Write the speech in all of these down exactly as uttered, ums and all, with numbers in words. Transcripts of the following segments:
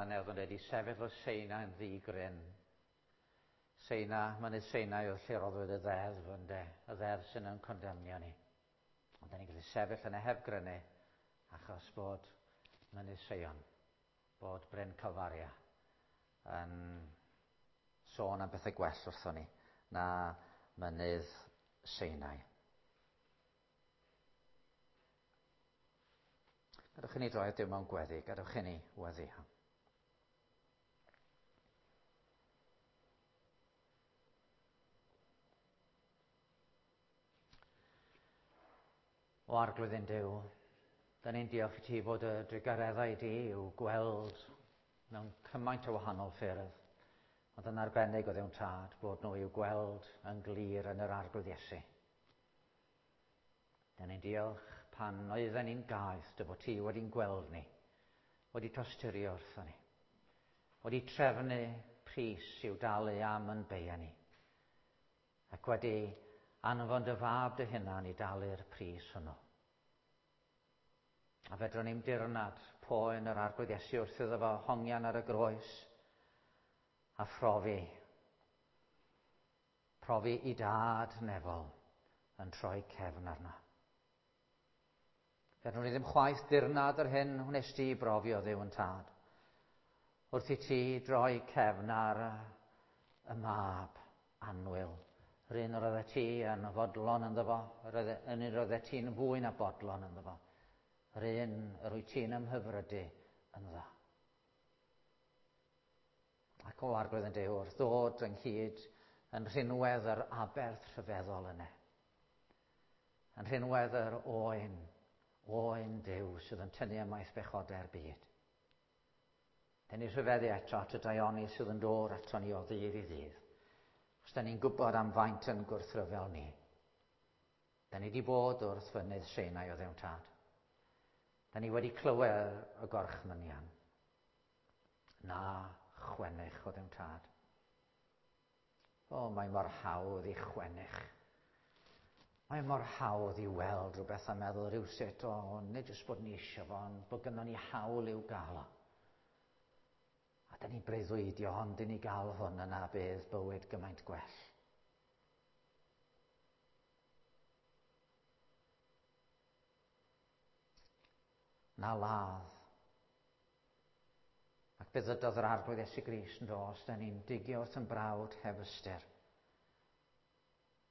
Oedd yn wedi sefyll o Seina yn ddigryn. Seina, mynydd Seina oedd lle roddwyd y ddeddf ynde, y ddeddf sy'n yn condemnio ni. Ond da ni'n gallu sefyll yna heb grynu achos bod mynydd Seion, bod Bryn Calfaria yn sôn am bethau gwell wrthon ni na mynydd Seinai. Gadewch i ni droi at Duw mewn gweddi, gadewch i ni weddio. O Arglwydd ein Duw, da ni'n diolch i ti bod y drugareddau di i'w gweld mewn cymaint o wahanol ffyrdd, ond yn arbennig o Dduw'n Tad bod nhw i'w gweld yn glir yn yr Arglwydd Iesu. Da ni'n diolch pan oedden ni'n gaeth dy fod ti wedi'n gweld ni, wedi tosturio wrthon ni, wedi trefnu pris i'w dalu am yn beia ni, ac wedi anfon dy fab dy hunan i dalu'r pris hwnnw. A fedrwn ni'm dirnad poen yr Arglwydd Iesu wrth iddo fo hongian ar y groes a phrofi, profi i dad nefol yn troi cefn arno. Fedrwn ni ddim chwaith dirnad yr hyn wnes di brofi o Dduw yn Tad, wrth i ti droi cefn ar y mab annwyl. Yr un yr oeddet ti yn fodlon ynddo fo, yr un yr oeddet ti'n fwy na bodlon ynddo fo, yr un yr wyt ti'n ymhyfrydu ynddo. Ac o Arglwydd yn Duw, wrth ddod ynghyd yn rhinwedd yr aberth rhyfeddol yna, yn rhinwedd yr oen, oen Duw sydd yn tynnu ymaith bechodau'r byd. Dyn ni rhyfeddu eto at y daioni sydd yn dod ato ni o ddydd i ddydd. Os da ni'n gwybod am faint yn gwrthryfel ni. Da ni wedi bod wrth fynydd Seinai o Dduw'n Tad. Da ni wedi clywed y gorchmynion. Na chwennych o Dduw'n Tad. O, mae mor hawdd i chwennych. Mae mor hawdd i weld rhywbeth a meddwl rhywsut, o, nid jyst bod ni eisiau fo, ond bod gynnon ni hawl i'w gael o. A da ni'n breuddwydio, ond i ni gael hwn yna bydd bywyd gymaint gwell. Na ladd. Ac fe ddydodd yr Arglwydd Iesu Grist yn do, os da ni'n digio wrth yn brawd heb ystyr.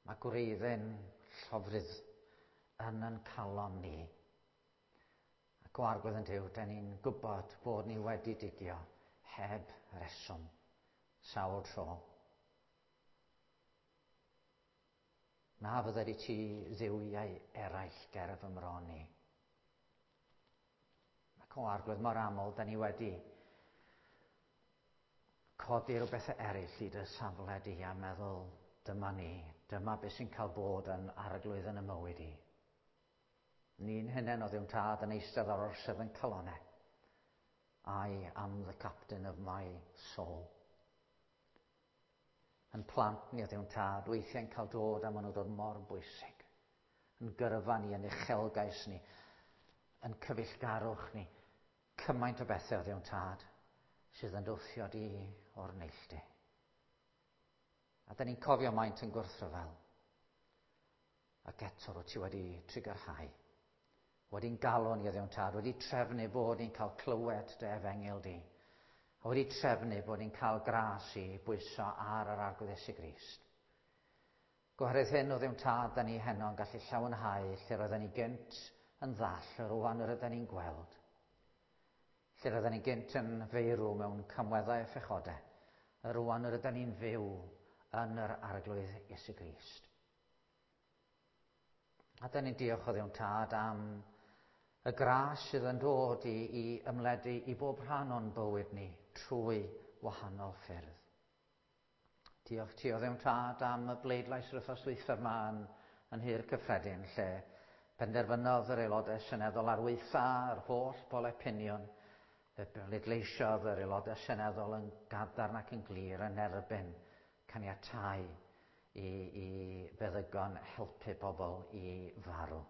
Mae gwreiddyn llofrudd yn yn calon ni. Ac o Arglwydd yn Duw, da ni'n gwybod bod ni wedi digio heb reswm, sawl tro. Na fyddai i ti dduwiau eraill ger fy mron i. Ac o Arglwydd, mor aml, da ni wedi codi rhywbeth eraill i dy safle di a meddwl, dyma ni, dyma beth sy'n cael bod yn arglwydd yn y mywyd i. Ni'n hunain o Dduw'n Tad yn eistedd ar orsedd yn calonau. I am the captain of my soul. Yn plant ni o Dduw'n Tad, weithiau'n cael dod a maen nhw'n dod mor bwysig. Yn gyrfa ni, yn uchelgais ni, yn cyfeillgarwch ni. Cymaint o bethau o Dduw'n Tad sydd yn dwthio di o'r neilltu. A da ni'n cofio maint yn gwrthryfel. Ac eto rwyt ti wedi trugarhau. Wedi'n galw ni o Dduw'n Tad, wedi trefnu bod ni'n cael clywed dy efengyl di. A wedi trefnu bod ni'n cael gras i bwyso ar yr Arglwydd Iesu Grist. Gwahredd hyn o Dduw'n Tad, da ni heno yn gallu llawenhau lle roedden ni gynt yn ddall, rŵan yr ydyn ni'n gweld. Lle roedden ni gynt yn feirw mewn camweddau a phechodau, rŵan yr ydyn ni'n fyw yn yr Arglwydd Iesu Grist. A da ni'n diolch o Dduw'n Tad am y gras sydd yn dod i, i ymledu i bob rhan o'n bywyd ni trwy wahanol ffyrdd. Diolch ti o Dduw'n Tad am y bleidlais yr wythnos dwythaf yma yn, yn Nhŷ'r Cyffredin, lle penderfynodd yr aelodau seneddol ar weitha yr holl polau piniwn, fe bleidleisiodd yr aelodau seneddol yn gadarn ac yn glir yn erbyn caniatáu i, i feddygon helpu pobl i farw.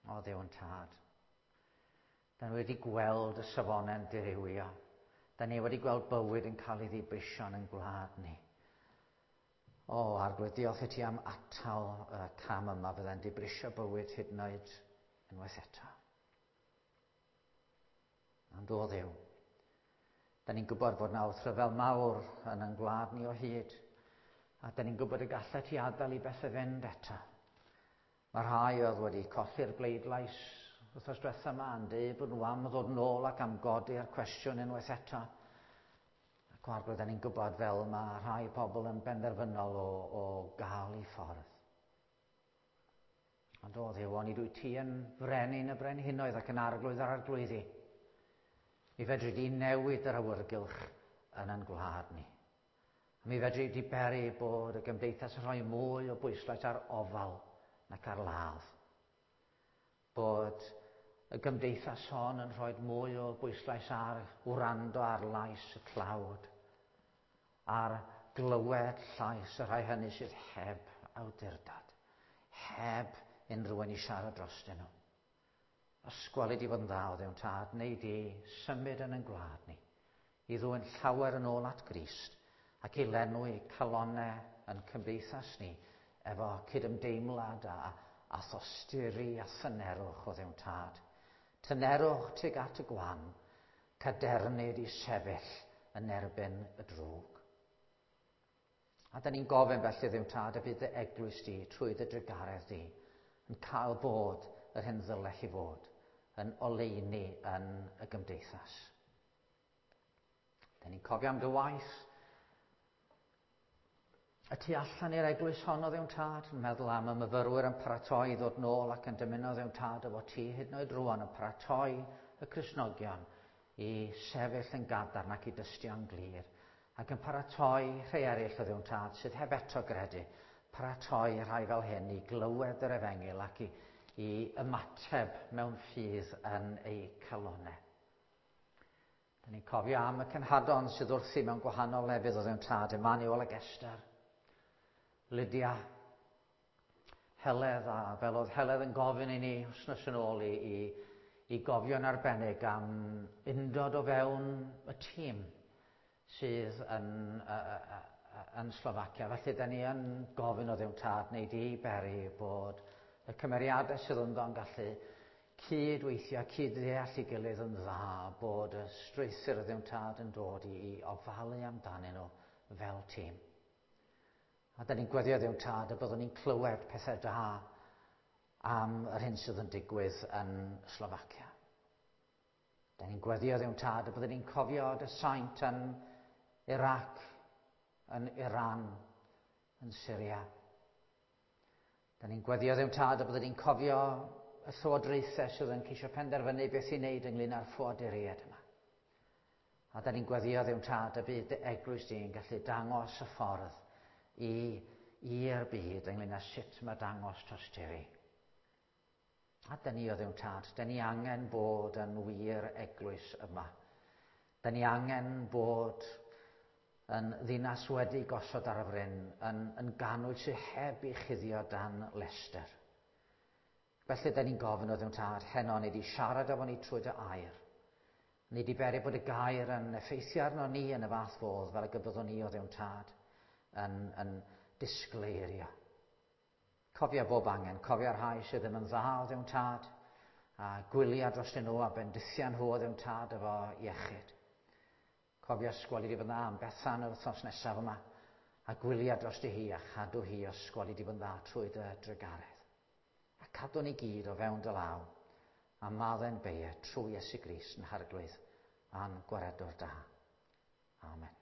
O Dduw'n Tad, Da ni wedi gweld y safonau'n dirywio. Da ni wedi gweld bywyd yn cael ei ddibrisio yn gwlad ni. O, Arglwydd, diolch i ti am atal y cam yma fydde'n dibrisio bywyd hyd yn oed unwaith eto. Ond o Dduw, da ni'n gwybod bod 'na wrthryfel mawr yn ein gwlad ni o hyd, a da ni'n gwybod y gallet ti adael i bethau fynd eto. Mae rhai oedd wedi colli'r bleidlais wythnos diwetha yma yn dweud bod nhw am ddod nôl ac am godi'r cwestiwn unwaith eto. Ac Arglwydd, da ni'n gwybod fel mae rhai pobl yn benderfynol o, o gael eu ffordd. Ond o Dduw, onid wyt ti yn frenin y brenhinoedd ac yn arglwydd yr arglwyddi. Mi fedri di newid yr awyrgylch yn ein gwlad ni. A mi fedri di beri bod y gymdeithas yn rhoi mwy o bwyslais ar ofal nac ar ladd. Bod y gymdeithas hon yn rhoi mwy o bwyslais ar wrando ar lais y tlawd, ar glywed llais y rhai hynny sydd heb awdurdod, heb unrhyw un i siarad drostyn nhw. Os gweli di fod yn dda o Dduw Tad, neu di symud yn ein gwlad ni, i ddwyn llawer yn ôl at Grist ac i lenwi calonnau yn cymdeithas ni efo cydymdeimlad a, a thosturi a thynerwch o Dduw Tad. Tynerwch tuag at y gwan, cadernid i sefyll yn erbyn y drwg. A da ni'n gofyn felly Dduw Tad y bydd dy eglwys di trwy dy drugaredd di yn cael bod yr hyn ddyle hi fod, yn oleuni yn y gymdeithas. Da ni'n cofio am dy waith y tu allan i'r eglwys hon o Dduw Tad, yn meddwl am y myfyrwyr yn paratoi i ddod nôl ac yn dymuno Dduw Tad efo ti hyd yn oed rwan yn paratoi y Cristnogion i sefyll yn gadarn ac i dystio'n glir, ac yn paratoi rhai eraill o Dduw Tad sydd heb eto gredu, paratoi rhai fel hyn i glywed yr efengyl ac i, i ymateb mewn ffydd yn eu calonnau. Da ni'n cofio am y cenhadon sydd wrthi mewn gwahanol lefydd o Dduw Tad, Emmanuel ac Esther, Lydia, Heledd, a fel oedd Heledd yn gofyn i ni wythnos yn ôl i, i, i gofio'n arbennig am undod o fewn y tîm sydd yn, uh, yn Slofacia. Felly, da ni yn gofyn o Dduw Tad neu di beri bod y cymeriadau sydd ynddo yn gallu cydweithio, cyd-ddeall ei gilydd yn dda, bod y strwythur o Dduw Tad yn dod i, i ofalu amdanyn nhw fel tîm. A da ni'n gweddio Dduw Tad y byddwn ni'n clywed pethau da am yr hyn sydd yn digwydd yn Slofacia. Da ni'n gweddio Dduw Tad y byddwn ni'n cofio dy saint yn Iraq, yn Iran, yn Syria. Da ni'n gweddio Dduw Tad y byddwn ni'n cofio y llywodraethau sydd yn ceisio penderfynu beth i wneud ynglyn â'r ffoaduriaid yma. A da ni'n gweddio Dduw Tad y bydd dy eglwys di'n gallu dangos y ffordd i i'r byd ynglyn â sut mae dangos tosturi. A da ni o Dduw Tad, da ni angen bod yn wir eglwys yma. Da ni angen bod yn ddinas wedi gosod ar y fryn, yn, yn ganwyll sydd heb ei chuddio dan lestr. Felly da ni'n gofyn o Dduw Tad, heno ni di siarad efo ni trwy dy air. Ni di beri bod y gair yn effeithio arno ni yn y fath fodd fel y byddwn ni o Dduw Tad yn, yn disgleirio. Cofio bob angen, cofio'r rhai sydd ddim yn dda o Dduw Tad, a gwylia dros nhw a bendithia nhw o Dduw Tad efo iechyd. Cofio sgwali di fod yn dda am Bethan yr wythnos nesaf yma, a gwylia dros hi a chadw hi o sgwali di fod yn dda trwy dy drugaredd. A cadw ni gyd o fewn dy law, a maddau'n beie trwy Iesu Grist yn Harglwydd a'n gwaredwr da. Amen.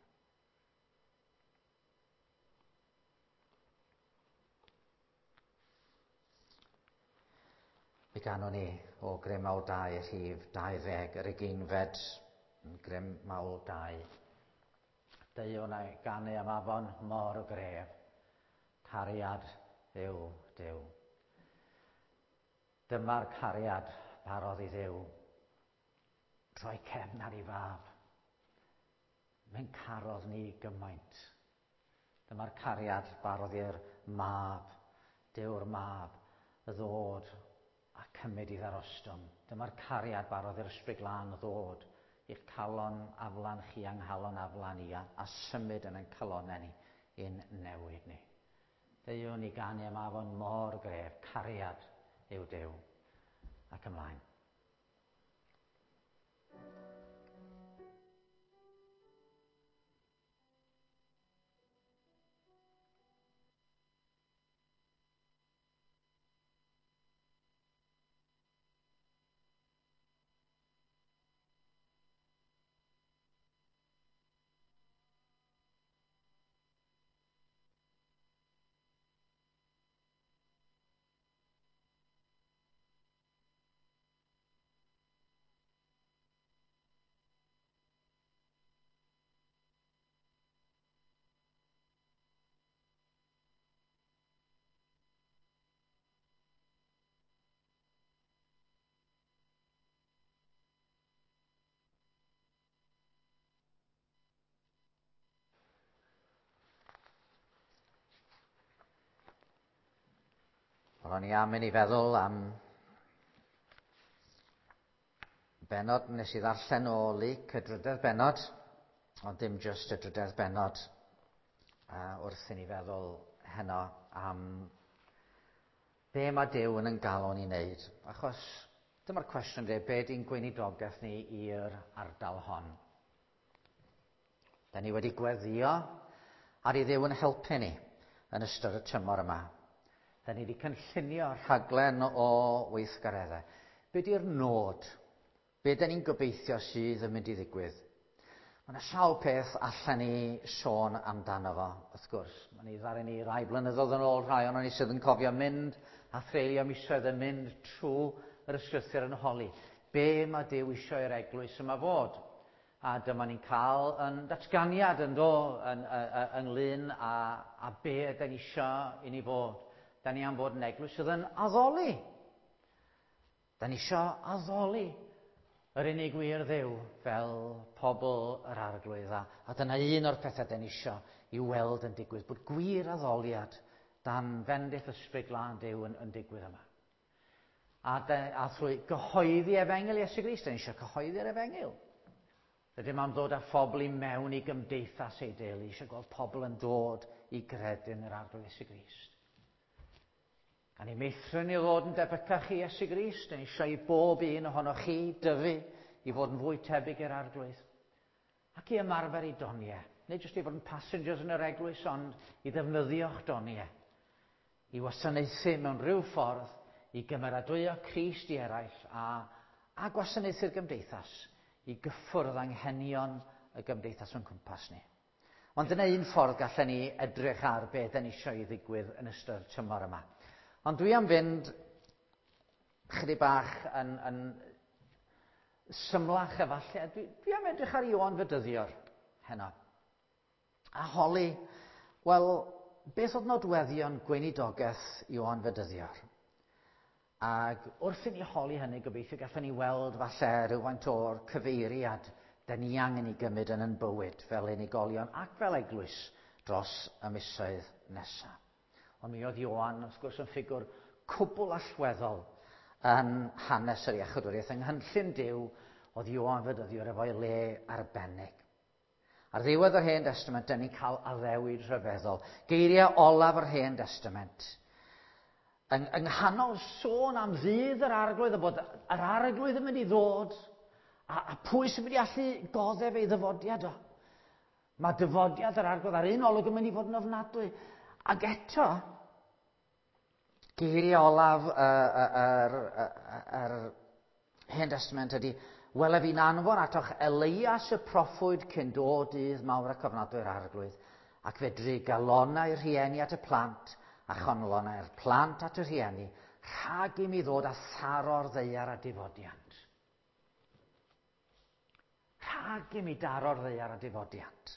Mi ganwn ni o Grym Mawl dau, rhif dau ddeg, yr ugeinfed, Grym Mawl dau. Deuwn a'i ganu am afon mor gref, cariad yw Duw. Dyma'r cariad barodd i Dduw, droi cefn ar ei fab. Mae'n carodd ni gymaint. Dyma'r cariad barodd i'r mab, Duw'r mab, y ddod a cymryd i ddarostwng. Dyma'r cariad barodd i'r Ysbryd Glân ddod i'ch calon aflan chi a'n nghalon aflan i a, a symud yn ein calonau ni i'n newid ni. Deuwn ni ganu am afon mor gref, cariad yw Duw. Ac ymlaen. Wel, o'n i am i ni feddwl am bennod nes i ddarllen o Luc, y drydedd bennod, ond dim jyst y drydedd bennod, uh, wrth i ni feddwl heno am be mae Duw yn ein galw ni wneud. Achos dyma'r cwestiwn de, be di'n gweinidogaeth ni i'r ardal hon? Da ni wedi gweddio ar i Dduw yn helpu ni yn ystod y tymor yma. Da ni wedi cynllunio rhaglen o weithgareddau. Be di'r nod? Be da ni'n gobeithio sydd yn mynd i ddigwydd? Mae yna sawl peth allan ni sôn amdano fo, wrth gwrs. Mae ni ddaru ni rai blynyddoedd yn ôl, rhai ohonon ni sydd yn cofio mynd a threulio misoedd yn mynd trwy yr ysgrythur yn holi. Be mae Duw eisiau i'r eglwys yma fod? A dyma ni'n cael yn datganiad yn do, yn, ynglyn â, â be ydan ni eisiau i ni fod. Da ni am fod yn eglwys sydd yn addoli. Da ni eisiau addoli yr unig wir Dduw fel pobl yr Arglwydd. A, a dyna un o'r pethau da ni eisiau i weld yn digwydd, bod gwir addoliad dan fendith Ysbryd Glân Duw yn, yn digwydd yma. A, de, a thrwy gyhoeddi efengyl Iesu Grist, da ni eisiau cyhoeddi'r efengyl. Rydym am ddod â phobl i mewn i gymdeithas ei deulu, eisiau gweld pobl yn dod i gredu yn yr Arglwydd Iesu Grist. A ni meithrin i ddod yn debycach i Iesu Grist, ni eisiau i bob un ohonoch chi dyfu i fod yn fwy tebyg i'r Arglwydd. Ac i ymarfer i doniau. Nid jyst i fod yn passengers yn yr eglwys, ond i ddefnyddio'ch doniau. I wasanaethu mewn rhyw ffordd, i gymeradwyo Crist i eraill a, a gwasanaethu'r gymdeithas, i gyffwrdd anghenion y gymdeithas o'n cwmpas ni. Ond dyna un ffordd gallen ni edrych ar beth ni eisiau i ddigwydd yn ystod tymor yma. Ond dwi am fynd chydig bach yn, yn symlach efallai. Dwi, dwi am edrych ar Ioan Fedyddiwr heno. A holi, wel, beth oedd nodweddion gweinidogaeth Ioan Fedyddiwr? Ac wrth i ni holi hynny, gobeithio gallwn ni weld falle rhywfaint o'r cyfeiriad da ni angen i gymryd yn ein bywyd fel unigolion ac fel eglwys dros y misoedd nesaf. Ond mi oedd Ioan, wrth gwrs, yn ffigwr cwbl allweddol yn hanes yr iachawdwriaeth. Yng nghynllun Duw oedd Ioan Fedyddiwr efo'i le arbennig. Ar ddiwedd yr Hen Testament, dyn ni'n cael addewid rhyfeddol. Geiriau olaf yr Hen Testament. Yng, yng nghanol sôn am ddydd yr Arglwydd, a bod yr Arglwydd yn mynd i ddod, a, a pwy sy'n mynd i allu goddef ei ddyfodiad o? Mae dyfodiad yr Arglwydd ar un olwg yn mynd i fod yn ofnadwy. Ac eto, geiriau olaf yr, yr, yr Hen Testament ydy, wele fi'n anfon atoch Elias y proffwyd cyn dod dydd mawr ac ofnadwy'r Arglwydd, ac fe drygalonau'r rhieni at y plant, a chonlonau'r plant at y rhieni, rhag i mi ddod â tharo'r ddaear a difodiant. Rhag i mi daro'r ddaear a difodiant.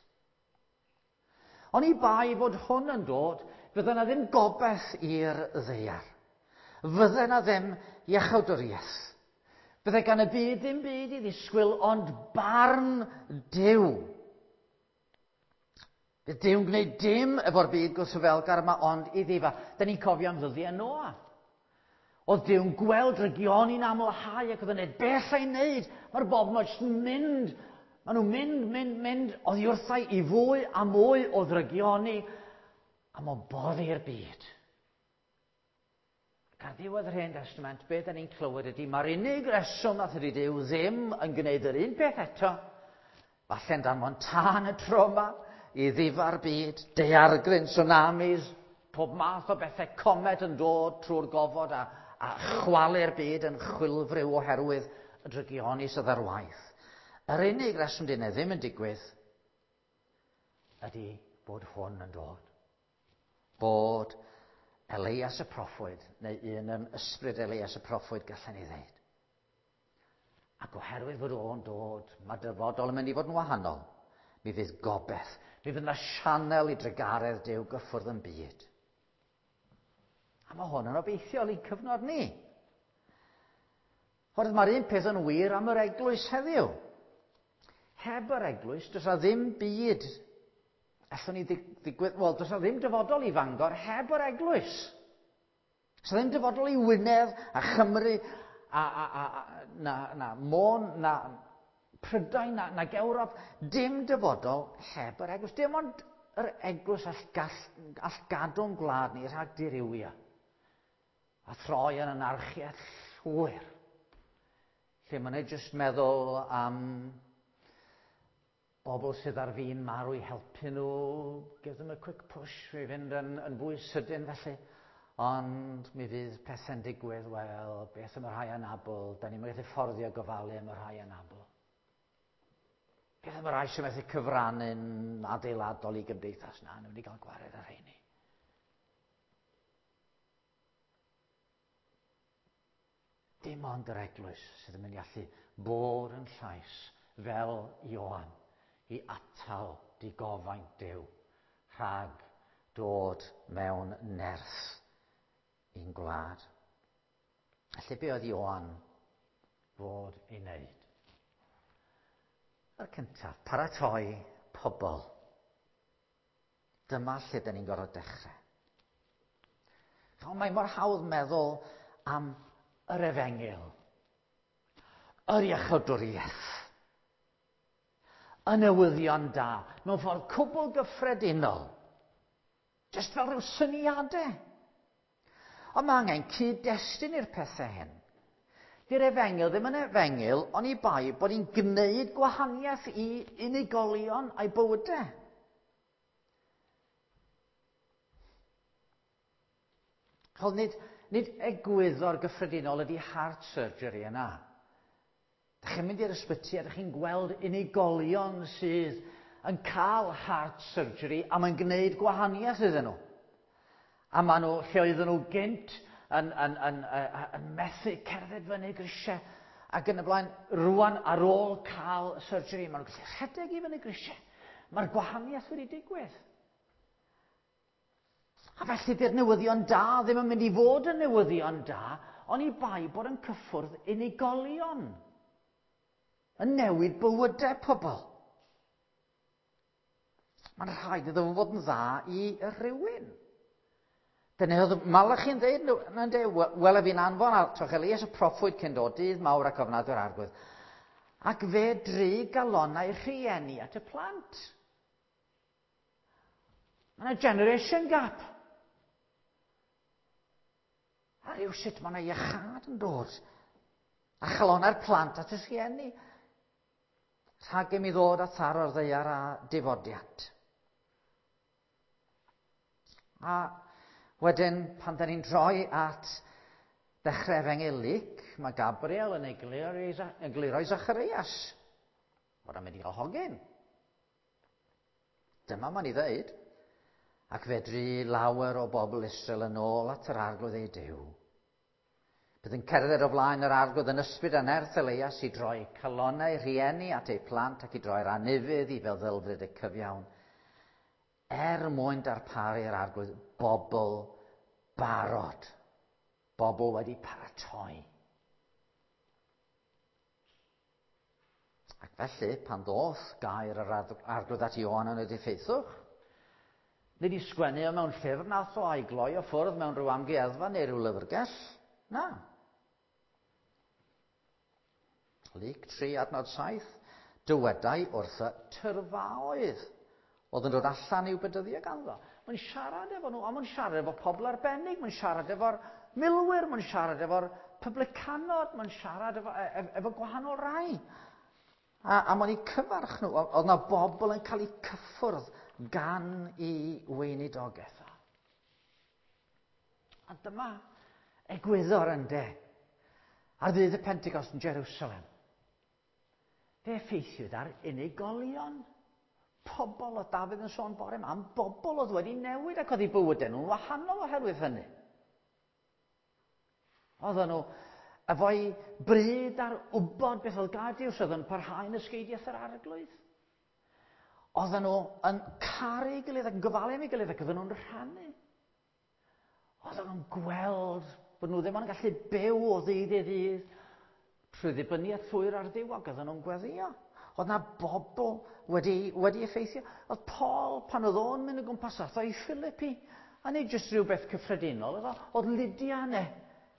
Ond i bai fod hwn yn dod, fydde yna ddim gobaith i'r ddaear. Fydde yna ddim iachawdwriaeth. Bydde gan y byd ddim byd i ddisgwyl, ond barn Duw. Bydd Duw'n gwneud dim efo'r byd gwrthryfelgar yma, ond i ddifa. Da ni'n cofio am ddyddiau Noa. Oedd Duw'n gweld drygioni'n amlhau ac oedd yn neud beth ei wneud. Mae'r bobl yma jyst yn mynd. Maen nhw'n mynd, mynd, mynd oddi wrthau i fwy a mwy o ddrygioni a mae'n boddi'r byd. Ac ar ddiwedd yr Hen Testament, be da ni'n clywed ydy, mae'r unig reswm nath ydy Duw ddim yn gwneud yr un peth eto, falle'n danfon tân y tro yma i ddifa'r byd, daeargryn, tsunamis, pob math o bethau, comet yn dod trwy'r gofod a, a chwalu'r byd yn chwilfriw oherwydd y drygioni sydd ar waith. Yr unig reswm dyn ddim yn digwydd ydy bod hwn yn dod. Bod Elias y proffwyd, neu un yn ysbryd Elias y proffwyd, gallen ni ddeud. Ac oherwydd fod o'n dod, mae dyfodol yn mynd i fod yn wahanol. Mi fydd gobeith, mi fydd yna sianel i drugaredd Duw gyffwrdd yn byd. A mae hwn yn obeithiol i'n cyfnod ni. Oherwydd mae'r un peth yn wir am yr eglwys heddiw. Heb yr eglwys, does 'na ddim byd allwn ni ddigwydd, wel, does 'na ddim dyfodol i Fangor heb yr eglwys. Does 'na ddim dyfodol i Wynedd a Chymru a, a, a, a na, na Môn, na Prydain, na, na Ewrop. Dim dyfodol heb yr eglwys. Dim ond yr eglwys all, gall, all gadw'n gwlad ni rhag dirywio a throi yn anarchiaeth llwyr. Lle maen nhw jyst meddwl am bobl sydd ar fin marw i helpu nhw, give them a quick push i fynd yn, yn fwy sydyn felly. Ond mi fydd pethau'n digwydd, wel, beth am y rhai anabl, da ni'n gallu fforddio gofalu am y rhai anabl. Beth am y rhai sy'n methu cyfrannu'n adeiladol i gymdeithas na, nhw'n wedi cael gwared ar rheini. Dim ond yr eglwys sydd yn mynd i allu bod yn llais fel Ioan i atal digofaint Duw rhag dod mewn nerth i'n gwlad. Felly be oedd Ioan fod ei wneud? Yr cyntaf, paratoi pobl. Dyma lle dyn ni'n gorfod dechrau. Ond mae mor hawdd meddwl am yr efengyl, yr iachawdwriaeth, y newyddion da, mewn ffordd cwbl gyffredinol, jyst fel rhyw syniadau. Ond mae angen cyd-destun i'r pethau hyn. Di'r efengyl ddim yn efengyl, oni bai bod ni'n gwneud gwahaniaeth i unigolion a'i bywydau. Chos nid, nid egwyddor gyffredinol ydy heart surgery yna. Dych chi'n mynd i'r ysbyty a dych chi'n gweld unigolion sydd yn cael heart surgery a mae'n gwneud gwahaniaeth iddyn nhw. A maen nhw, lle oedden nhw gynt, yn, yn, yn, yn, yn methu cerdded fyny grisiau ac yn y blaen, rwan ar ôl cael surgery, maen nhw'n gallu rhedeg i fyny grisiau. Mae'r gwahaniaeth wedi digwydd. A felly di'r newyddion da ddim yn mynd i fod yn newyddion da, oni bai bod yn cyffwrdd unigolion, yn newid bywydau pobl. Mae'n rhaid iddo fo fod yn dda i rhywun. Dyna oedd Malachi'n dweud, wele fi'n anfon atoch Elias y proffwyd cyn dod dydd mawr ac ofnadwy'r Arglwydd. Ac fe dry galonnau rhieni at y plant. Mae yna generation gap. A rhywsut mae yna iachâd yn dod. A chalonnau'r plant at y rhieni. Rhag i mi ddod a tharo'r ddaear a difodiant. A wedyn, pan da ni'n troi at ddechrau Efengyl Luc, mae Gabriel yn egluro i Zacharias bod o'n mynd i gael hogyn. Dyma mae'n ei ddeud. Ac fe dry lawer o bobl Israel yn ôl at yr Arglwydd eu Duw. Bydd yn cerdded o flaen yr Arglwydd yn ysbryd a nerth Elias i droi calonnau rhieni at eu plant ac i droi'r anufudd i feddylfryd y cyfiawn, er mwyn darparu'r Arglwydd bobl barod, bobl wedi paratoi. Ac felly, pan ddoth gair yr Arglwydd at Ioan yn y diffeithwch, nid i sgwennu o mewn llyfr nath o a'i gloi o ffwrdd mewn rhyw amgueddfa neu rhyw lyfrgell. Na. Luc tri adnod saith, dywedai wrth y tyrfaoedd oedd yn dod allan i'w bedyddio ganddo. Mae'n siarad efo nhw, ond mae'n siarad efo pobl arbennig, mae'n siarad efo'r milwyr, mae'n siarad efo'r publicanod, mae'n siarad efo, efo, efo gwahanol rai. A, a mae'n eu cyfarch nhw, oedd yna bobl yn cael eu cyffwrdd gan i weinidogaeth. A dyma egwyddor ynde, ar ddydd y Pentecost yn Jerusalem. Fe effeithiwyd ar unigolion. Pobl oedd Dafydd yn sôn bore yma, am bobl oedd wedi newid ac oedd eu bywydau nhw'n wahanol oherwydd hynny. Oedden nhw efo'i bryd ar wybod beth oedd gair Duw, oedd yn parhau yn ysgeidiaeth yr Arglwydd. Oedden nhw yn caru ei gilydd ac yn gofalu am ei gilydd ac oedden nhw'n rhannu. Oedden nhw'n gweld bod nhw ddim ond yn gallu byw o ddydd i ddydd trwy ddibyniaeth llwyr ar Dduw, ac oedden nhw'n gweddio. Oedd na bobl wedi, wedi effeithio. Oedd Paul, pan oedd o'n mynd o gwmpas, ath o i Philippi, a nid jyst rhywbeth cyffredinol, oedd, oedd Lydia yna,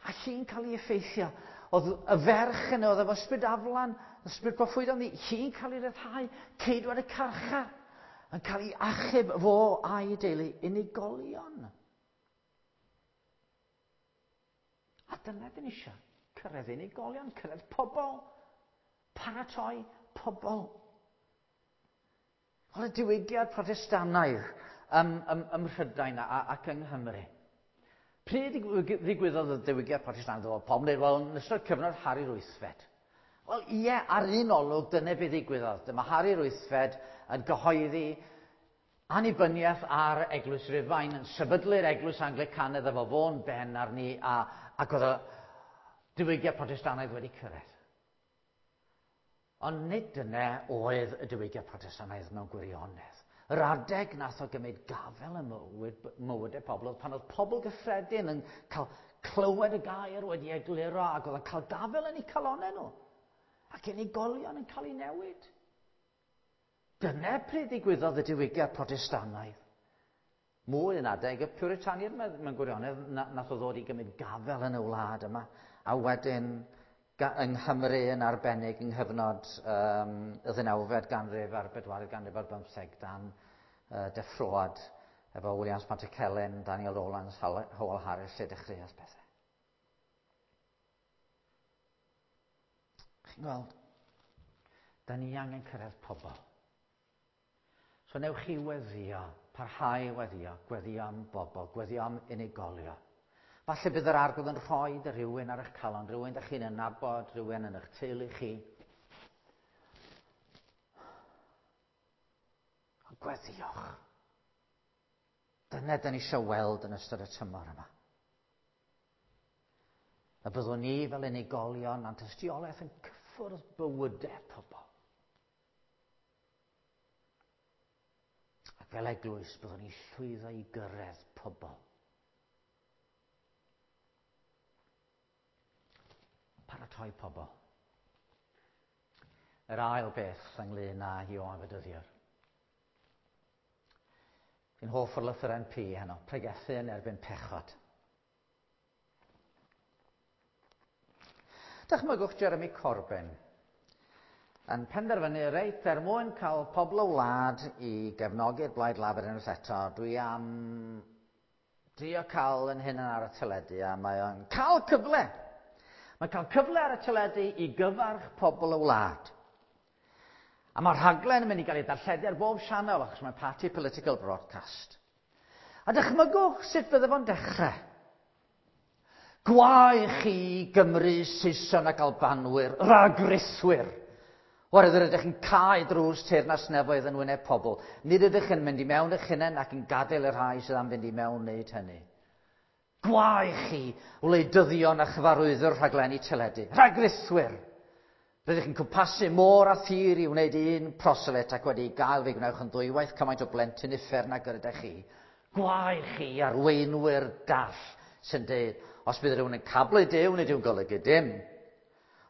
a hi'n cael ei effeithio. Oedd y ferch yna, oedd efo ysbryd aflan, ysbryd proffwydol, hi'n cael ei ryddhau, ceidwad y carchar, yn cael ei achub fo a'i deulu, unigolion. A dyna dyn ni eisiau, cyrraedd unigolion, cyrraedd pobl, paratoi pobl. Oedd y diwygiad Protestannaidd ym, ym, ym Mhrydain ac yng Nghymru. Pryd ddigwyddodd y diwygiad Protestannaidd? Oedd pobl yn dweud, wel, yn ystod cyfnod Harri'r Wythfed. Wel, ie, ar un olwg, dyna beth ddigwyddodd. Dyma Harri'r Wythfed yn gyhoeddi annibyniaeth ar Eglwys Rufain, yn sefydlu'r Eglwys Anglicanaidd efo fo'n ben arni, a, ac oedd y diwygiad Protestannaidd wedi cyrraedd. Ond nid dyna oedd y diwygiad Protestannaidd mewn gwirionedd. Yr adeg nath o gymryd gafel ym mywyd, mywydau pobl oedd pan oedd pobl gyffredin yn cael clywed y gair wedi egluro ac oedd yn cael gafel yn eu calonnau nhw. Ac unigolion yn cael eu newid. Dyna pryd ddigwyddodd y diwygiad Protestannaidd. Mwy yn adeg y Puritaniaid mewn gwirionedd nath o ddod i gymryd gafel yn y wlad yma. A wedyn yng Nghymru yn arbennig yng nghyfnod um, y ddeunawfed ganrif a'r bedwaredd ganrif ar bymtheg dan uh, deffroad efo Williams Pantycelyn, Daniel Rowlands, Howell Harris, lle dechreuodd pethau. Chi'n gweld, da ni angen cyrraedd pobl. So newch chi weddio, parhau weddio, gweddio am bobl, gweddio am unigolion. Falle bydd yr Arglwydd yn rhoi rhywun ar eich calon, rhywun ydych chi'n nabod, rhywun yn eich teulu chi. Ond gweddiwch. Dyna dyn ni eisiau weld yn ystod y tymor yma. A byddwn ni fel unigolion a'n tystiolaeth yn cyffwrdd bywydau pobl. Ac fel eglwys byddwn ni llwyddo i gyrraedd pobl. Paratoi pobl. Yr ail beth ynglyn â Ioan Fedyddiwr. Fi'n hoff o'r lythyren P heno, pregethu yn erbyn pechod. Dychmygwch Jeremy Corbyn yn penderfynu reit er mwyn cael pobl o wlad i gefnogi'r Blaid Lafur unwaith eto, dwi am drio cael yn hyn ar y teledu a mae o'n cael cyfle. Mae'n cael cyfle ar y teledu i gyfarch pobl y wlad. A mae'r rhaglen yn mynd i gael ei darlledu ar bob sianel achos mae'n party political broadcast. A dychmygwch sut bydde fo'n dechrau. Gwae chi Gymru, Saeson ac Albanwyr, ragruthwyr. Oherwydd yr ydych yn cau drws teyrnas nefoedd yn wyneb pobl. Nid ydych yn mynd i mewn eich hunain ac yn gadael y rhai sydd am fynd i mewn wneud hynny. Gwae chi, wleidyddion a chyfarwyddwr rhaglenni teledu, rhagrithwyr. Rydych chi'n cwmpasu môr a thir i wneud un proselyt ac wedi gael fe gwnewch yn ddwywaith cymaint o blentyn uffern ag yr ydych chi. Gwae chi, arweinwyr dall sy'n deud, os bydd rhywun yn cablu Duw, nid yw'n golygu dim.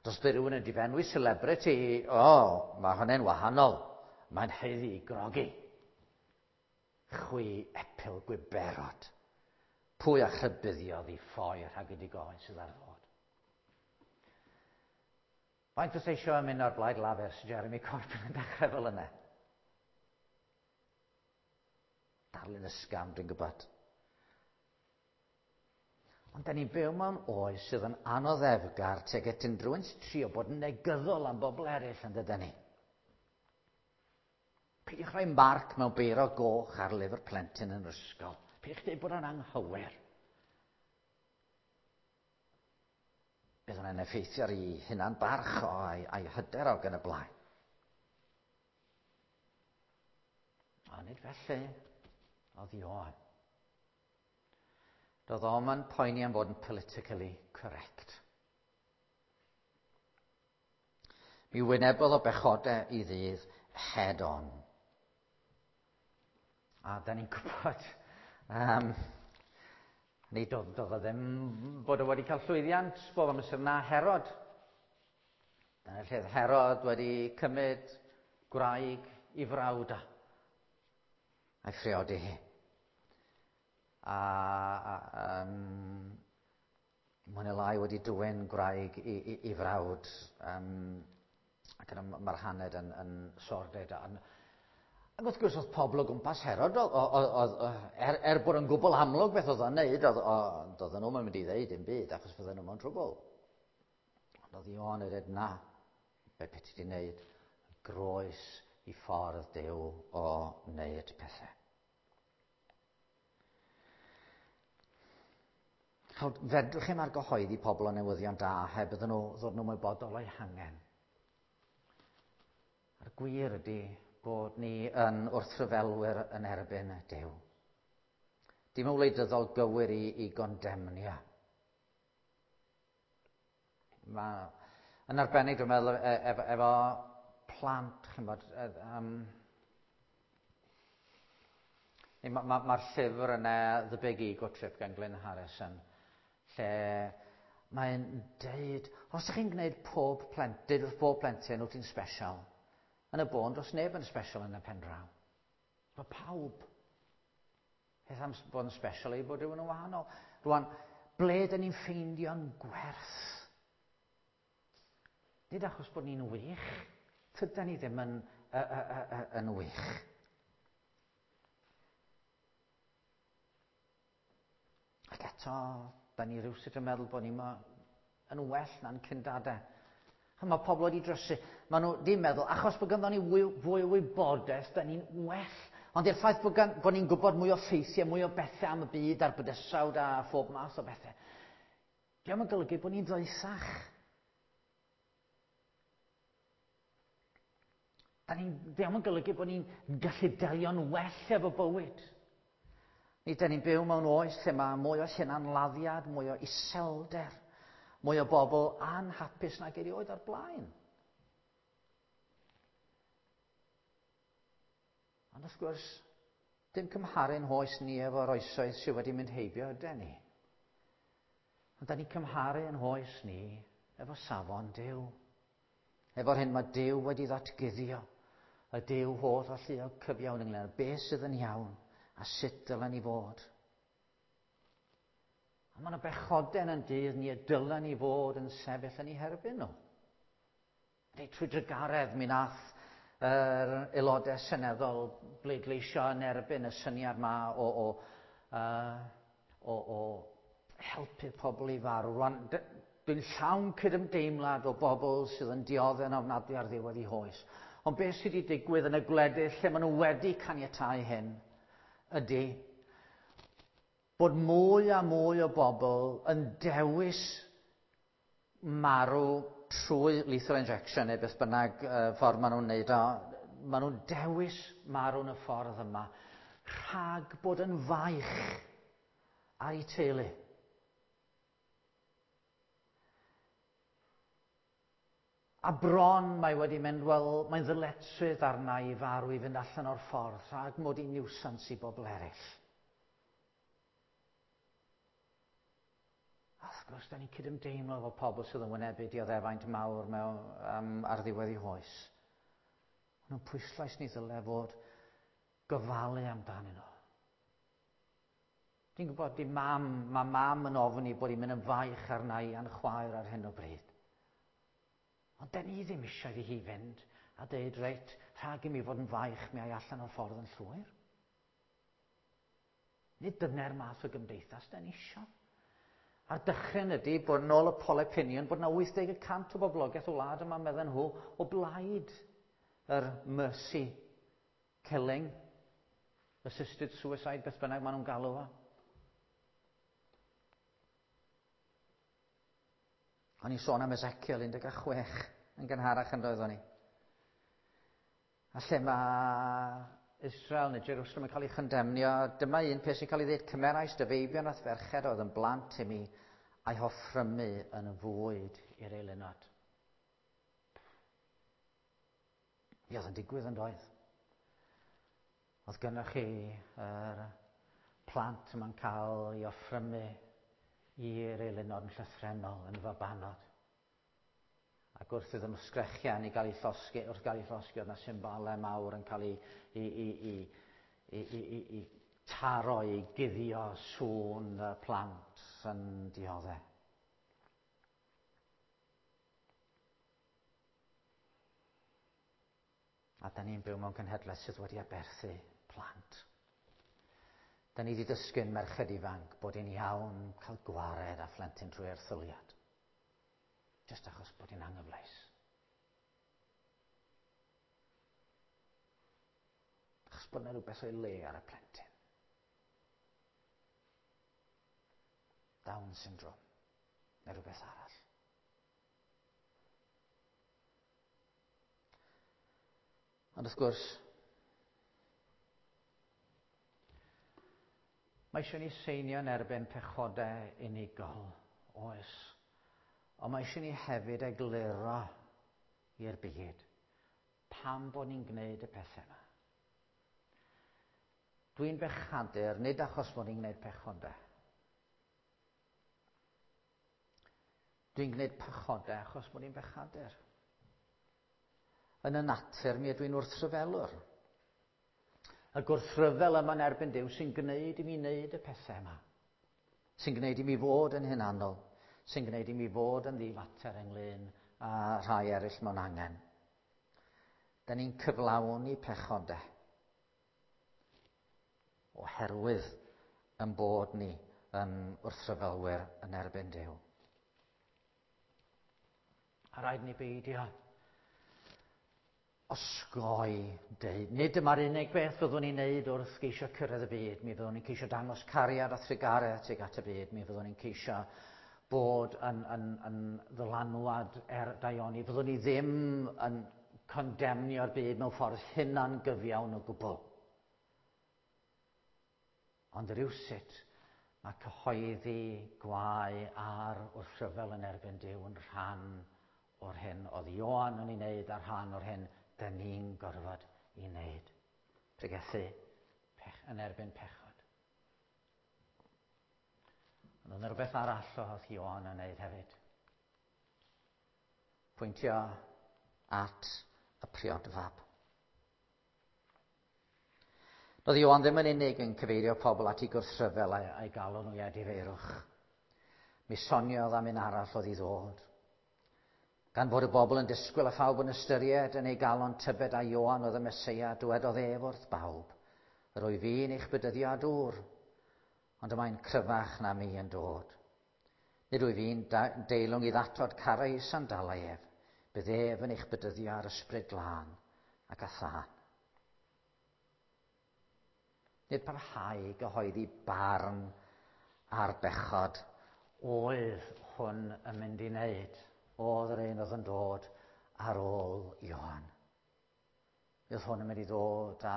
Os bydd rhywun yn difenwi celebrity, o, oh, mae hwnna'n wahanol. Mae'n haeddu i grogi. Chwi epil gwiberod. Pwy a chrybuddiodd i ffoi rhag y digofaint sydd ar ddod. Faint oes eisiau ymuno â'r Blaid Lafur sy'n Jeremy Corbyn yn dechrau fel yna? Darlun ysgafn, dwi'n gwybod. Ond da ni'n byw mewn oes sydd yn anoddefgar tuag at unrhyw un sy'n trio bod yn negyddol am bobl eraill, yn dydyn ni. Peidiwch rhoi marc mewn beiro goch ar lyfr plentyn yn yr ysgol. Peidiwch dweud bod o'n anghywir. Bydd hwnna'n effeithio ar ei hunan barch o a'i, a'i hyder o gan y blaen. A nid felly oedd Ioan. Doedd o'm yn poeni am fod yn politically correct. Mi wynebodd o bechodau i ddydd head on. A da ni'n gwybod, um, nid doedd, doedd o ddim bod o wedi cael llwyddiant bob amser na Herod. Dyna lle oedd Herod wedi cymryd gwraig i frawd a a'i phriodi hi. A, a um, mwy neu lai wedi dwyn gwraig i, i, i frawd. Um, ac yna mae'r haned yn, yn sordid. Ac, ac wrth gwrs oedd pobl o gwmpas Herod, o, o, o, o, er, er bod yn gwbl amlwg beth oedd o'n neud, oedd, oedd nhw'n mynd i ddeud dim byd, achos fydden nhw mewn trwbl. Ond oedd Ioan yn dweud, na, be beth ti wedi wneud, groes i ffordd Duw o wneud pethau. Fedrwch chi'm argyhoeddi pobl o newyddion da heb iddyn nhw ddod nhw'n ymwybodol o'i hangen. A'r gwir ydy bod ni yn wrthryfelwyr yn erbyn Duw. Dim yn wleidyddol gywir i, i gondemnio. Mae, yn arbennig, dwi'n meddwl, efo, efo plant, chi'n bod, um, mae'r ma, ma llyfr yna, The Big Ego Trip gan Glyn Harrison, lle mae'n deud, os ydych chi'n gwneud pob plentyn, deud wrth pob plentyn wyt ti'n special, yn y bôn, does neb yn special yn y pen draw. Mae pawb. Peth am bod yn special ei bod rhywun yn wahanol. Rwan, ble dyn ni'n ffeindio'n gwerth? Nid achos bod ni'n wych, tydan ni ddim yn, uh, uh, uh, yn wych. Ac eto, da ni rhywsut yn meddwl bod ni yn well na'n cyndadau. Mae pobl wedi drysu. Maen nhw ddim meddwl, achos bod ganddo ni fwy, fwy o wybodaeth, da ni'n well. Ond i'r ffaith bod, gan, bod ni'n gwybod mwy o ffeithiau, mwy o bethau am y byd a'r bydysawd a phob math o bethau, dio'm yn golygu bod ni'n ddoethach. Da ni'n, dio'm yn golygu bod ni'n gallu delio'n well efo bywyd. Ni, da ni'n byw mewn oes lle mae mwy o hunanladdiad, mwy o iselder, mwy o bobl anhapus nag erioed o'r blaen. Ond wrth gwrs, dim cymharu'n hoes ni efo'r oesoedd sydd wedi mynd heibio yden ni. Ond da ni'n cymharu yn hoes ni efo safon Duw. Efo'r hyn mae Duw wedi ddatguddio, y Duw holl alluog cyfiawn ynglyn â beth sydd yn iawn a sut dylen ni fod. A mae yna bechoden yn dydd ni y dylen ni fod yn sefyll yn ei herbyn nhw. Neu trwy drugaredd mi nath yr aelodau seneddol bleidleisio yn erbyn y syniad ma o, o, uh, o, o helpu pobl i farw. Rwan, dwi'n llawn cydymdeimlad o bobl sydd yn dioddef yn ofnadwy ar ddiwedd eu hoes. Ond beth sydd wedi digwydd yn y gwledydd lle maen nhw wedi caniatáu hyn ydy bod mwy a mwy o bobl yn dewis marw trwy lethal injection neu beth bynnag uh, ffordd maen nhw'n neud o. Maen nhw'n dewis marw yn y ffordd yma rhag bod yn faich ar eu teulu. A bron mae wedi mynd, wel, mae'n ddyletswydd arna i farw i fynd allan o'r ffordd rhag mod i'n niwsans i bobl eraill. A wrth gwrs, da ni'n cydymdeimlo efo pobl sydd yn wynebu dioddefaint mawr mewn, um, ar ddiwedd eu hoes. Ond nhw'n pwyslais ni ddyle fod gofalu amdanyn nhw. Dwi'n gwybod, di mam, mae mam yn ofni bod hi'n mynd yn faich arna i a'n chwaer ar hyn o bryd. Ond da ni ddim eisiau iddi hi fynd a deud, reit, rhag i mi fod yn faich, mi ai allan o'r ffordd yn llwyr. Nid dyna'r math o gymdeithas da ni eisiau. A'r dychryn ydy bod yn ôl y poll opinion bod yna wyth deg y cant o boblogaeth o wlad yma, medden nhw, o blaid yr mercy killing, assisted suicide, beth bynnag maen nhw'n galw fo. O'n i'n sôn am Ezekiel un deg chwech yn gynharach yn doeddwn i. A lle mae Israel neu Jerusalem yn cael ei chondemnio, dyma un peth sy'n cael ei ddweud, cymerais dy feibion a ferched oedd yn blant i mi a'i hoffrymu yn fwyd i'r eilunod. Mi oedd yn digwydd yn doedd. Oedd gynnoch chi yr plant yma'n cael ei offrymu i'r eilunod yn llythrennol, yn fabanod. Ac wrth iddyn nhw sgrechian i gael ei llosgi, wrth gael ei llosgi, oedd yna symbolau mawr yn cael ei, ei, ei, ei, ei, ei, ei, ei taro, i guddio sŵn y plant yn dioddef. A da ni'n byw mewn cenhedlaeth sydd wedi aberthu plant. Da ni wedi dysgu'n merched ifanc bod hi'n iawn cael gwared â phlentyn trwy erthyliad. Jyst achos bod hi'n anghyfleus. Achos bod yna rhywbeth o'i le ar y plentyn. Down syndrome, neu rhywbeth arall. Ond wrth gwrs, mae eisiau ni seinio yn erbyn pechodau unigol, oes. Ond mae eisiau ni hefyd egluro i'r byd pam bod ni'n gwneud y pethau yma. Dwi'n bechadur, nid achos bod ni'n gwneud pechodau. Dwi'n gwneud pechodau achos bod ni'n bechadur. Yn y natur, mi ydw i'n wrthryfelwr. Y gwrthryfel yma'n erbyn Duw sy'n gwneud i mi wneud y pethau yma. Sy'n gwneud i mi fod yn hunanol. Sy'n gwneud i mi fod yn ddifater ynglyn â rhai eraill mewn angen. Da ni'n cyflawni pechodau oherwydd yn bod ni yn wrthryfelwyr yn erbyn Duw. A rhaid ni beidio osgoi deud. Nid dyma'r unig beth fyddwn ni'n neud wrth geisio cyrraedd y byd. Mi fyddwn ni'n ceisio dangos cariad a thrugaredd tuag at y byd. Mi fyddwn ni'n ceisio bod yn, yn, yn ddylanwad er daioni. Fyddwn ni ddim yn condemnio'r byd mewn ffordd hunan gyfiawn o gwbl. Ond rywsut mae cyhoeddi gwae ar wrthryfel yn erbyn Duw yn rhan o'r hyn oedd Ioan yn ei wneud a rhan o'r hyn dyn ni'n gorfod i wneud. Pregethu pech, yn erbyn pechod. Ond oedd rhywbeth arall oedd Ioan yn wneud hefyd. Pwyntio at y priodfab. Doedd Ioan ddim yn unig yn cyfeirio pobl at ei gwrthryfel a'i, a'i galw nhw i edifeirwch. Mi soniodd am un arall oedd i ddod. Gan fod y bobl yn disgwyl a phawb yn ystyried yn ei galon tybed a Ioan oedd y Meseia, dywedodd ef wrth bawb, yr wyf fi'n eich bedyddio â dŵr, ond y mae'n cryfach na mi yn dod. Nid wyf fi'n deilwng i ddatod carau sandalau ef, bydd ef yn eich bedyddio ar ysbryd glân ac â thân. Nid parhau i gyhoeddi barn ar bechod oedd hwn yn mynd i wneud. Oedd yr un oedd yn dod ar ôl Ioan. Oedd hwn yn mynd i ddod â,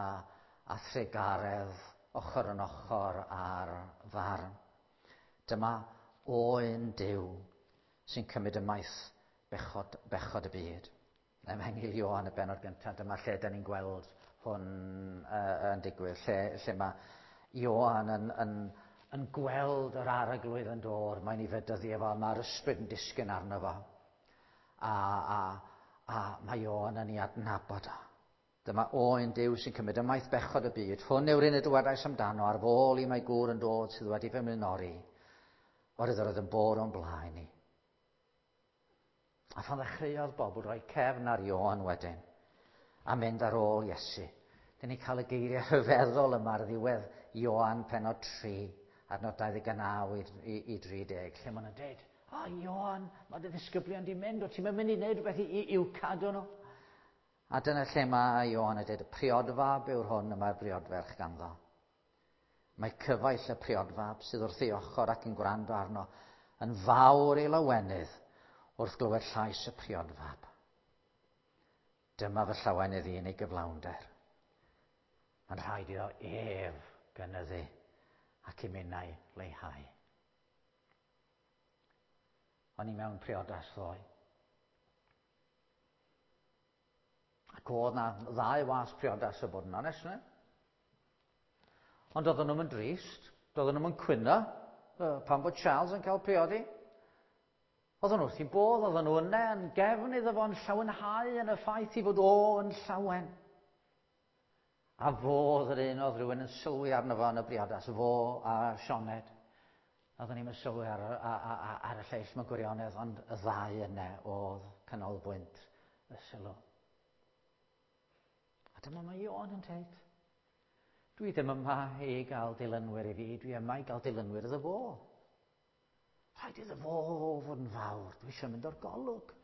â thrugaredd ochr yn ochr ar farn. Dyma oen Duw sy'n cymryd ymaith bechod, bechod y byd. Efengyl Ioan y bennod gyntaf, dyma lle da ni'n gweld hwn uh, yn digwydd, lle, lle mae Ioan yn, yn, yn gweld yr arglwydd yn dod, mae'n ei fedyddio fo, mae'r ysbryd yn disgyn arno fo. A, a, a mae Ioan yn ei adnabod o. Dyma oen Duw sy'n cymryd ymaith bechod y byd. Hwn yw'r un y dywedais amdano, ar fôl i mae gŵr yn dod sydd wedi fy mlaenori. Oherwydd yr oedd yn bod o'n blaen i. A phan ddechreuodd bobl roi cefn ar Ioan wedyn, a mynd ar ôl Iesu, dyn ni'n cael y geiriau rhyfeddol yma ar ddiwedd Ioan pennod tri, adnod dau ddeg naw i, i, i dri deg, lle maen nhw'n dweud, o Ioan, mae dy ddisgyblion di mynd, o ti'n mynd i wneud rhywbeth i, i, i'w cadw nhw? A dyna lle mae Ioan yn dweud, y priodfab yw'r hwn y mae'r briodferch ganddo. Mae cyfaill y priodfab sydd wrth ei ochr ac yn gwrando arno yn fawr ei lawenydd wrth glywed llais y priodfab. Dyma fy llawenydd i yn ei gyflawnder. Mae'n rhaid iddo ef gynyddu ac i minnau leihau. O'n i mewn priodas ddoe. Ac oedd na ddau was priodas o bod yn onest, ne? Ond oedden nhw'n drist, doedden nhw'n cwyno pan bod Charles yn cael priodi. Oedden nhw wrth i bodd, oedden nhw yna yn gefn iddo fo'n llawenhau yn y ffaith i fod o yn llawen. A fo oedd yr un oedd rhywun yn sylwi arno fo yn y briodas, fo a Sioned. Oedden ni'n sylwi ar, ar, ar, ar y lleill mewn gwirionedd, ond y ddau yna oedd canolbwynt y sylw. A dyma mae Ioan yn dweud, dwi ddim yma i gael dilynwyr i fi, dwi yma i gael dilynwyr iddo fo. Rhaid iddo fo fod yn fawr, dwi eisiau mynd o'r golwg.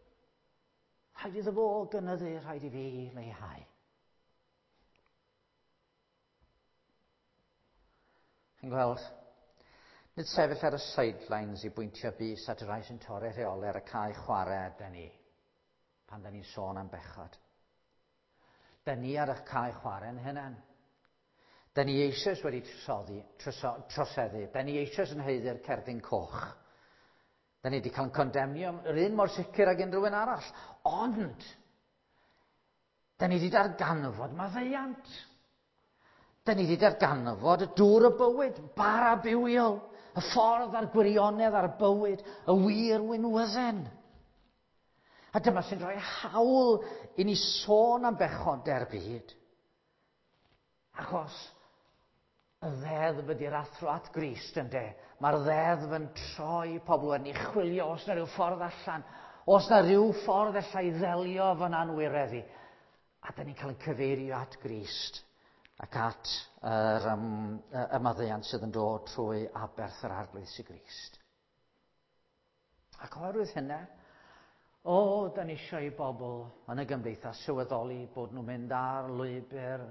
Rhaid iddo fo gynyddu, rhaid i fi leihau. Chi'n gweld, nid sefyll ar y sidelines i bwyntio bys at y rhai sy'n torri rheolau ar y cae chwarae ydyn ni, pan da ni'n sôn am bechod. Da ni ar y cae chwarae yn hynny. Da ni eisoes wedi trosoddi, troso, troseddu. Da ni eisoes yn haeddu'r cerdyn coch. Da ni wedi cael yn condemnio yr un mor sicr ag unrhyw un arall. Ond, da ni wedi darganfod maddeuant. Da ni wedi darganfod y dŵr y bywyd, bara bywiol, y ffordd a'r gwirionedd a'r bywyd, y wir winwydden. A dyma sy'n rhoi hawl i ni sôn am bechodau'r byd. Achos y ddeddf ydy'r athro at Grist, ynde? Mae'r ddeddf yn troi pobl yn ei chwilio os na rhyw ffordd allan, os na rhyw ffordd alla i ddelio fo'n anwiredd i. A da ni'n cael ein cyfeirio at Grist ac at yr um, y maddeuant sydd yn dod trwy aberth yr Arglwydd Iesu Grist. Ac oherwydd hynna, o, da ni eisiau i bobl yn y gymdeithas sylweddoli bod nhw'n mynd ar lwybr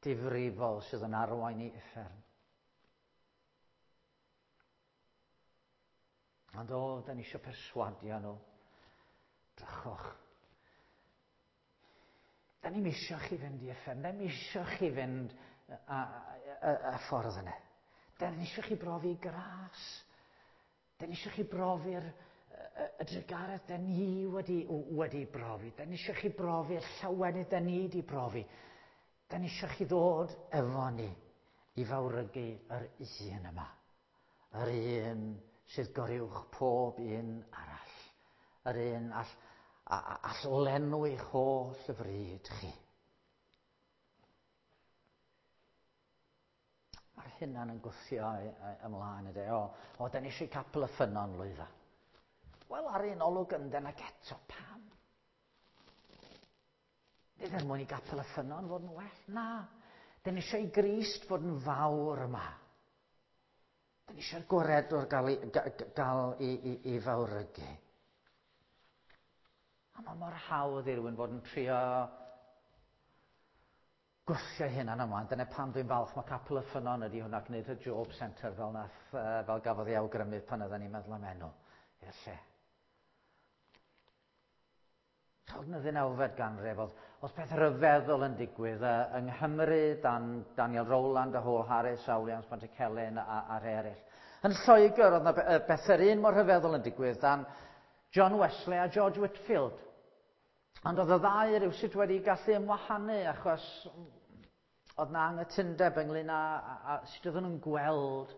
difrifol sydd yn arwain i uffern. Ond o, da ni eisiau perswadio nhw. Drychwch. Da ni'n eisiau chi fynd i uffern. Da ni'n eisiau chi fynd y, y, y ffordd yna. Da ni'n eisiau chi brofi gras. Da ni eisiau chi brofi'r y, y drugaredd da ni wedi, wedi brofi. Da ni eisiau chi brofi'r llawenydd da ni wedi brofi. Da ni eisiau chi ddod efo ni i fawrygu yr un yma. Yr un sydd goruwch pob un arall. Yr un all, all lenwi'ch holl fryd chi. Mae'r hynna'n yn gwthio ymlaen ydy. O, o, da ni eisiau capel y ffynnon lwydda. Wel, ar un olwg yndyn ac eto, pam? Nid er mwyn i gapel y ffynnon fod yn well, na. Da ni eisiau i Grist fod yn fawr yma. Da ni eisiau'r gwaredwr gael, i, gael i, i, i fawrygu. A mae mor hawdd i rywun fod yn trio gwthio hynna'n ymlaen. Dyna pam dwi'n falch mae capel y ffynnon ydy hwnna, gwneud y Job Centre fel, nath, fel gafodd ei awgrymu pan oedden ni'n meddwl am enw i'r lle. Chod yn y ddeunawfed ganrif, oedd, oedd peth rhyfeddol yn digwydd uh, yng Nghymru, dan Daniel Rowland a Hall Harris a Williams Pantycelyn a, a'r eraill. Yn Lloegr, oedd yna beth yr un mor rhyfeddol yn digwydd dan John Wesley a George Whitefield. Ond oedd y ddau rywsut wedi gallu ymwahanu achos oedd na anghytundeb ynglyn â, a, a sut oedden nhw'n gweld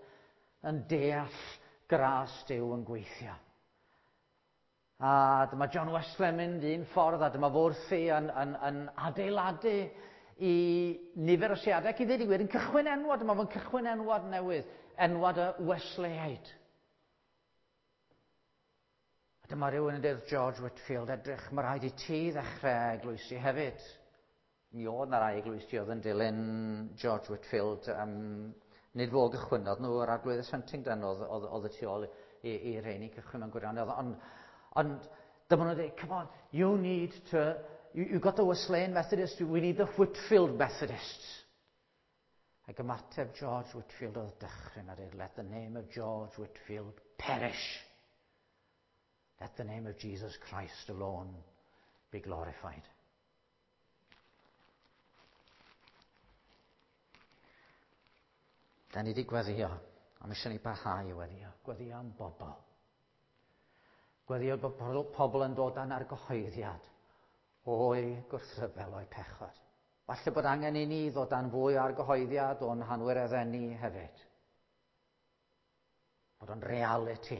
yn deall gras Duw yn gweithio. A dyma John Wesley yn mynd un ffordd, a dyma fo wrthi yn, yn, yn adeiladu i nifer o siadau, ac i ddweud i gwir yn cychwyn enwad, dyma fo'n cychwyn enwad newydd, enwad y Wesleyaid. A A dyma rhywun yn dweud George Whitefield, edrych, mae rhaid i ti ddechrau eglwysi hefyd. Mi oedd na rai eglwysi oedd yn dilyn George Whitefield. Um, nid fo gychwynnodd nhw, yr arglwyddes Huntingdon oedd, oedd, oedd y tu ôl i, i rheini cychwyn mewn gwirionedd. Ond, ond dyma nhw'n dweud, come on, you need to, you, you got the Wesleyan Methodists, we need the Whitefield Methodists. Ac ymateb George Whitefield oedd dychryn a dweud, let the name of George Whitefield perish. Let the name of Jesus Christ alone be glorified. Da ni wedi gweddio, a mae eisiau ni barhau i weddio. Gweddio am bobl. Gweddio bod pobl yn dod dan argyhoeddiad o'i gwrthryfel o'i pechod. Falle bod angen i ni ddod dan fwy o argyhoeddiad o'n hanwireddau ni hefyd. Bod o'n reality.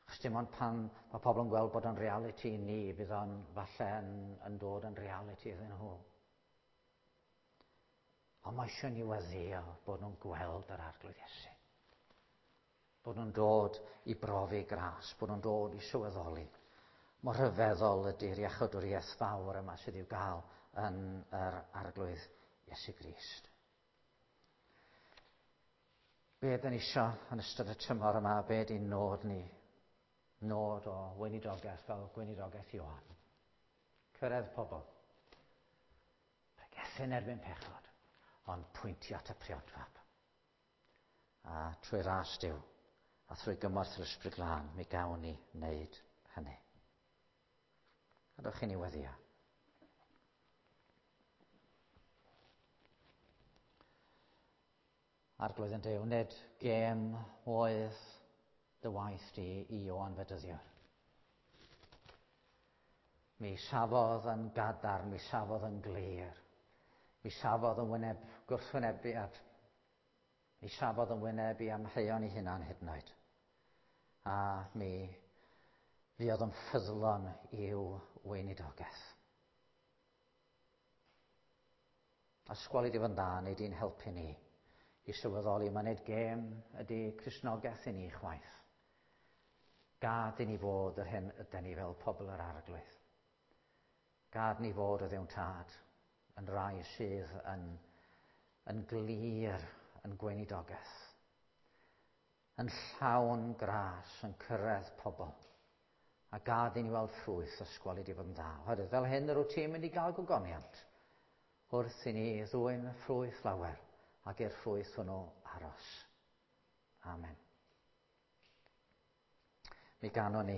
Achos dim ond pan mae pobl yn gweld bod o'n reality i ni, bydd o'n falle yn, yn dod yn reality iddyn nhw. Ond mae eisiau ni weddio bod nhw'n gweld yr Arglwydd Iesu. Bod nhw'n dod i brofi gras, bod nhw'n dod i sylweddoli. Mor rhyfeddol ydy'r iachawdwriaeth fawr yma sydd i'w gael yn yr Arglwydd Iesu Grist. Be ydyn ni isio yn ystod y tymor yma, be ydy'n nod ni? Nod o weinidogaeth fel gweinidogaeth Ioan. Cyrraedd pobl. Pregethu'n erbyn pechod, ond pwyntio at y priodfab. A trwy ras Duw, a thrwy gymorth yr Ysbryd Glân, mi gawn ni wneud hynny. Gadewch i ni weddio. Arglwydd yn Duw, nid gêm oedd dy waith di i Ioan Fedyddiwr. Mi safodd yn gadarn, mi safodd yn glir. Mi safodd yn wyneb gwrthwynebiad. Mi safodd yn wyneb i amheuon ei hunan hyd yn oed. A mi fuodd yn ffyddlon i'w weinidogaeth. A sgwali di fod yn dda, neu di'n helpu ni i sylweddoli mae nid gêm ydy Cristnogaeth i ni chwaith. Gad i ni fod yr hyn ydyn ni fel pobl yr Arglwydd. Gad ni fod o Dduw'n Tad yn rai sydd yn, yn glir yn gweinidogaeth, yn llawn gras, yn cyrraedd pobl. A gad i ni weld ffrwyth ysgwali di fod yn dda. Oherwydd fel hyn yr wyt ti'n mynd i gael gogoniant wrth i ni ddwyn ffrwyth lawer ac i'r ffrwyth hwnnw aros. Amen. Mi ganwn ni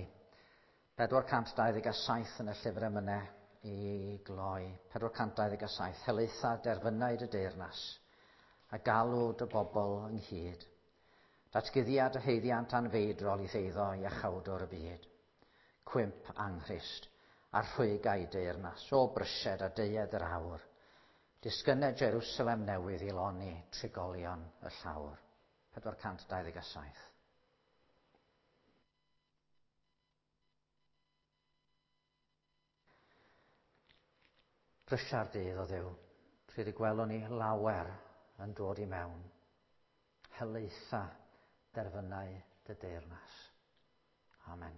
pedwar cant dau ddeg a saith yn y llyfr emynau i gloi. pedwar cant dau ddeg a saith. Helaetha derfynau dy deyrnas a galw dy bobl ynghyd. Datguddiad y haeddiant anfeidrol i ddeiddo i iachawdwr y byd. Cwymp anghrist a rhwyg a'i deyrnas o brysed a deued yr awr. Disgyned Jerusalem newydd i loni trigolion y llawr. pedwar cant dau ddeg a saith. Brysia'r dydd o Dduw, pryd y gwelwn ni lawer yn dod i mewn. Helaetha derfynau dy deyrnas. Amen.